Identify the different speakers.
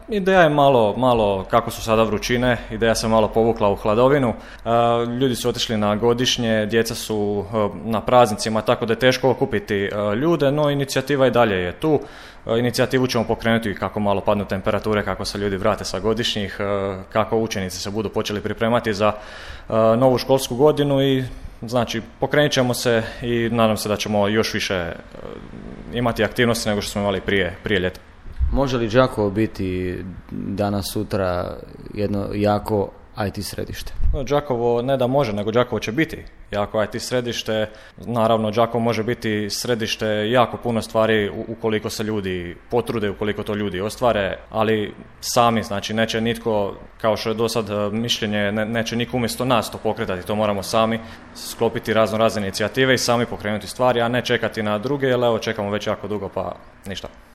Speaker 1: Ideja je malo kako su sada vrućine, ideja se malo povukla u hladovinu. Ljudi su otišli na godišnje, djeca su na praznicima, tako da je teško okupiti ljude, no inicijativa i dalje je tu. Inicijativu ćemo pokrenuti kako malo padnu temperature, kako se ljudi vrate sa godišnjih, kako učenici se budu počeli pripremati za novu školsku godinu i znači pokrenut ćemo se i nadam se da ćemo još više imati aktivnosti nego što smo imali prije ljeta.
Speaker 2: Može li Đakovo biti danas sutra jedno jako IT središte?
Speaker 1: Đakovo ne da može, nego Đakovo će biti jako IT središte. Naravno, Đakovo može biti središte jako puno stvari ukoliko se ljudi potrude, ukoliko to ljudi ostvare, ali sami, znači neće nitko, kao što je do sad mišljenje, neće niko umjesto nas to pokretati, to moramo sami sklopiti razne inicijative i sami pokrenuti stvari, a ne čekati na druge, jer evo čekamo već jako dugo pa ništa.